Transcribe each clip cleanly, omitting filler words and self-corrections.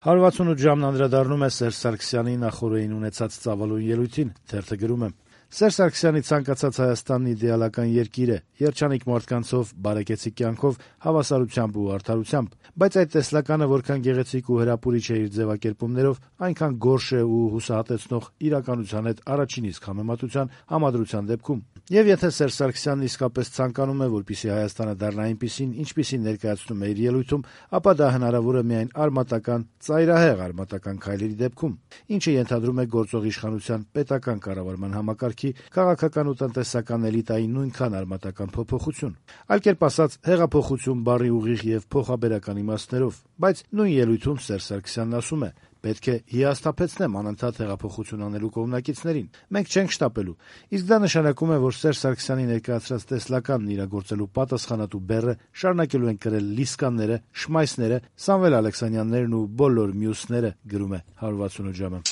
168 ժամն անդրադառնում է Սերժ Սարգսյանի նախօրեին ունեցած ծավալուն ելույթին, թերթը գրում է. Սերժ Սարգսյանի ցանկացած Հայաստանն իդեալական երկիր է, երջանիկ մարդկանցով, բարեկեցիկ կյանքով, հավասարությամբ ու արդարությամբ, բայց այդ տեսլականը որքան գեղեցիկ ու հրապուրիչ է իր ձևակերպումներով, այնքան գորշ է ու հուսահատեցնող իրականության հետ առաջին իսկ համեմատության համադրության դեպքում։ Եվ եթե Սերժ Սարգսյանն իսկապես ցանկանում է, որպեսզի Հայաստանը դառնա այնպիսին, ինչպիսին ներկայացնում է իր ելույթում, ապա դա հնարավոր է միայն արմատական, ծայրահեղ արմատական քայլերի դեպքում, ինչը ենթադրում է գործող իշխանության պետական կառավարման համակարգի, քաղաքական ու տնտեսական էլիտայի նույնքան արմատական փոփոխություն։ Այլ կերպ ասած, հեղափոխություն բառի ուղիղ եւ փոխաբերական իմաստներով, բայց նույն ելույթում Սերժ Սարգսյանն ասում է. պետք է հիասթափեցնեմ անընդհատ հեղափոխություն անելու կողմնակիցներին։ Մենք չենք շտապելու։ Իսկ դա նշանակում է, որ Սերժ Սարգսյանի ներկայացրած տեսլականն իրագործելու պատասխանատու բեռը շարունակելու են կրել Լիսկանները, Շմայսները, Սամվել Ալեքսանյաններն ու բոլոր մյուսները, գրում է 168 ժամը։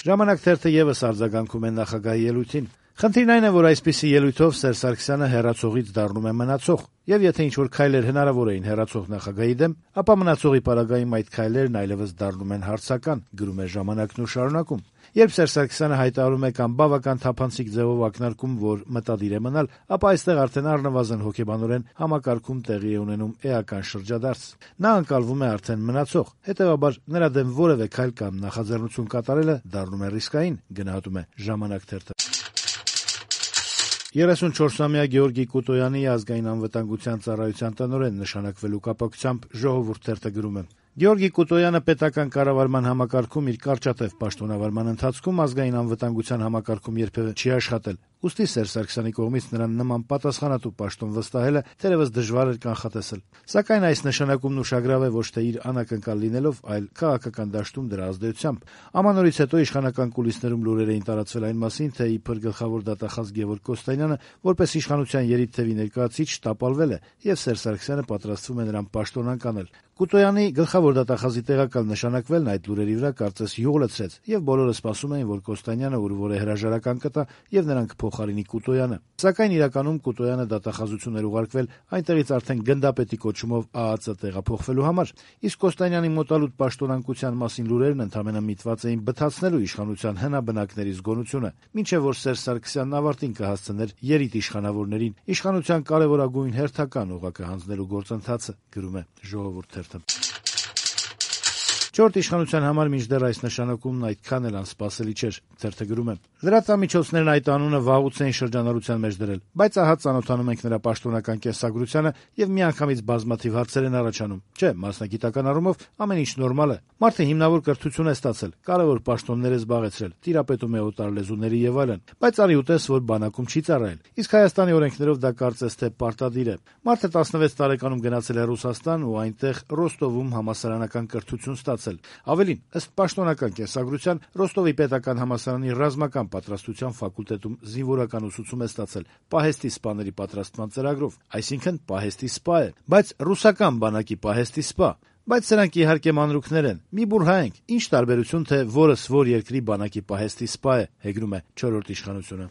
Ժամանակ թերթը եւս արձագանքում է նախագահի ելույթին։ Խնդիրն այն է, որ այսպիսի ելույթով Սերժ Սարգսյանը հեռացողից դառնում է մնացող, եւ եթե ինչ-որ քայլեր հնարավոր էին հեռացող նախագահի դեմ, ապա մնացողի պարագայում այդ քայլերն այլևս դառնում են հարցական, գրում է Ժամանակն ու շարունակում։ Երբ Սերժ Սարգսյանը հայտարարում է կամ բավական թափանցիկ ձևով ակնարկում, որ մտադիր է մնալ, ապա այստեղ արդեն առնվազն հոգեբանորեն համակարգում տեղի է ունենում էական շրջադարձ։ Նա ընկալվում է արդեն մնացող, հետեւաբար նրա դեմ որևէ քայլ կամ նախաձեռնություն կատարելը դառնում է ռիսկային, գնահատում է Ժամանակ թերթը։ 34-ամյա Գեորգի Կուտոյանի ազգային անվտանգության ծառայության տնօրեն նշանակվելու կապակցությամբ Ժողովուրդ թերթը գրում է. Գեորգի Կուտոյանը պետական կառավարման համակարգում իր կարճատև պաշտոնավարման ընթացքում ազգային անվտանգության համակարգում երբևէ չի աշխատել։ Ուստի Սերժ Սարգսյանի կողմից նրան նման պատասխանատու պաշտոն վստահելը թերևս դժվար էր կանխատեսել։ Սակայն այս նշանակումն ուշագրավ է ոչ թե իր անակնկալ լինելով, այլ քաղաքական դաշտում դրա ազդեցությամբ։ Ամանորից հետո իշխանական կուլիսներում լուրեր էին տարածվել այն մասին, թե իբր գլխավոր դատախազ Գևորգ Կոստանյանը որպես իշխանության երիտթևի ներկայացուցիչ տապալվել է, եւ Սերժ Սարգսյանը պատրաստվում է նրան պաշտոն անկանել։ Կուտոյանի գլխավոր դատախազի տեղակալ նշանակվելն այդ լուրերի վրա կարծես յուղ լցրեց, եւ բոլորը սպասում էին, որ Կոստանյանը ուրվոր է հրաժարական կտա եւ նրան կփոխարինի Կուտոյանը։ Սակայն իրականում Կուտոյանը դատախազություն էր ուղարկվել այնտեղից արդեն գնդապետի կոչումով ԱԱԾ տեղափոխվելու համար, իսկ Կոստանյանի մոտալուտ պաշտոնանկության մասին լուրերն ընդամենը միտված էին բթացնելու իշխանության հնաբնակների զգոնությունը, մինչեւ որ Սերժ Սարգսյանն ավարտին կհասցներ երիտ իշխանավորներին իշխանության կարևորագույն հերթական օղակը հանձնելու գործընթացը, գրում է Ժողովուրդ թերթը։ Չորրորդ իշխանության համար մինչդեռ այս նշանակումն այդքան էլ անսպասելի չէր, թերթը գրում է. լրատվամիջոցներն այդ անունը վաղուց էին շրջանառության մեջ դրել, բայց ահա ծանոթանում ենք նրա պաշտոնական կենսագրությանը եւ միանգամից բազմաթիվ հարցեր են առաջանում։ Չէ, մասնագիտական առումով ամեն ինչ նորմալ է։ Մարդը հիմնավոր կրթություն է ստացել, կարևոր պաշտոններ է զբաղեցրել, տիրապետում է օտար լեզուների եւ այլն, բայց արի ուտես, որ բանակում չի ծառայել։ Իսկ Հայաստանի օրենքներով դա կարծես թե պարտադիր է։ Մարդը 16 տարեկանում գնացել է Ռուսաստան ու այնտեղ Ռոստովում համալսարանական կրթություն ստացել։ Ավելին, ըստ պաշտոնական կենսագրության, Ռոստովի պետական համալսարանի ռազմական պատրաստության ֆակուլտետում զինվորական ուսուցում է ստացել պահեստի սպաների պատրաստման ծրագրով, այսինքն պահեստի սպա է, բայց ռուսական բանակի պահեստի սպա։ Բայց սրանք իհարկե մանրուքներ են։ Մի բուրհայենք, ինչ տարբերություն, թե որս որ երկրի բանակի պահեստի սպա է, հեգնում է չորրորդ իշխանությունը։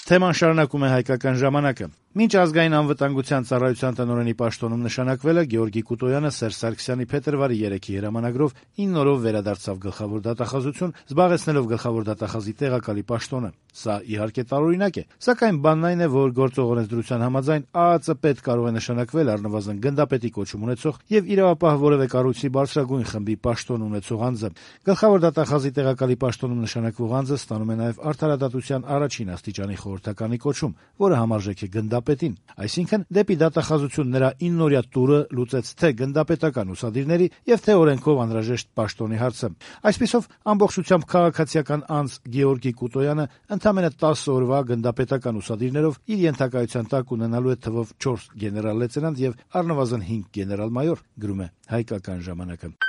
Թեման շարունակում է Հայկական ժամանակը։ Մինչ ազգային անվտանգության ծառայության տնօրենի պաշտոնում նշանակվելը Գեորգի Կուտոյանը Սերժ Սարգսյանի փետրվարի 3-ի հրամանագրով 9 օրով վերադարձավ գլխավոր դատախազություն, զբաղեցնելով գլխավոր դատախազի տեղակալի պաշտոնը։ Սա իհարկե տարօրինակ է, սակայն բանն այն է, որ գործող օրենսդրության համաձայն ԱԱԾ պետ կարող է նշանակվել առնվազն գնդապետի կոչում ունեցող եւ իրավապահ որևէ կառույցի բարձրագույն խմբի պաշտոն ունեցող անձը։ Գլխավոր դատախազի տեղակալի պաշտոնում նշանակվող անձը ստանում է նաեւ արդարադատության առաջին աստիճանի խորհրդականի կոչում, որը համարժեք է գնդապետին։ Այսինքն, դեպի դատախազություն նրա 9-օրյա տուրը լուծեց թե գնդապետական ուսադիրների եւ թե օրենքով անհրաժեշտ պաշտոնի հարցը։ Այսպիսով, ամբողջությամբ քաղաքացիական անձ Գեորգի Կուտոյանը ընդամենը 10 օրվա գնդապետական ուսադիրներով իր ենթակայության տակ ունենալու է թվով 4 գեներալ լեյտենանտ եւ առնվազն 5 գեներալ-մայոր, գրում է Հայկական ժամանակը։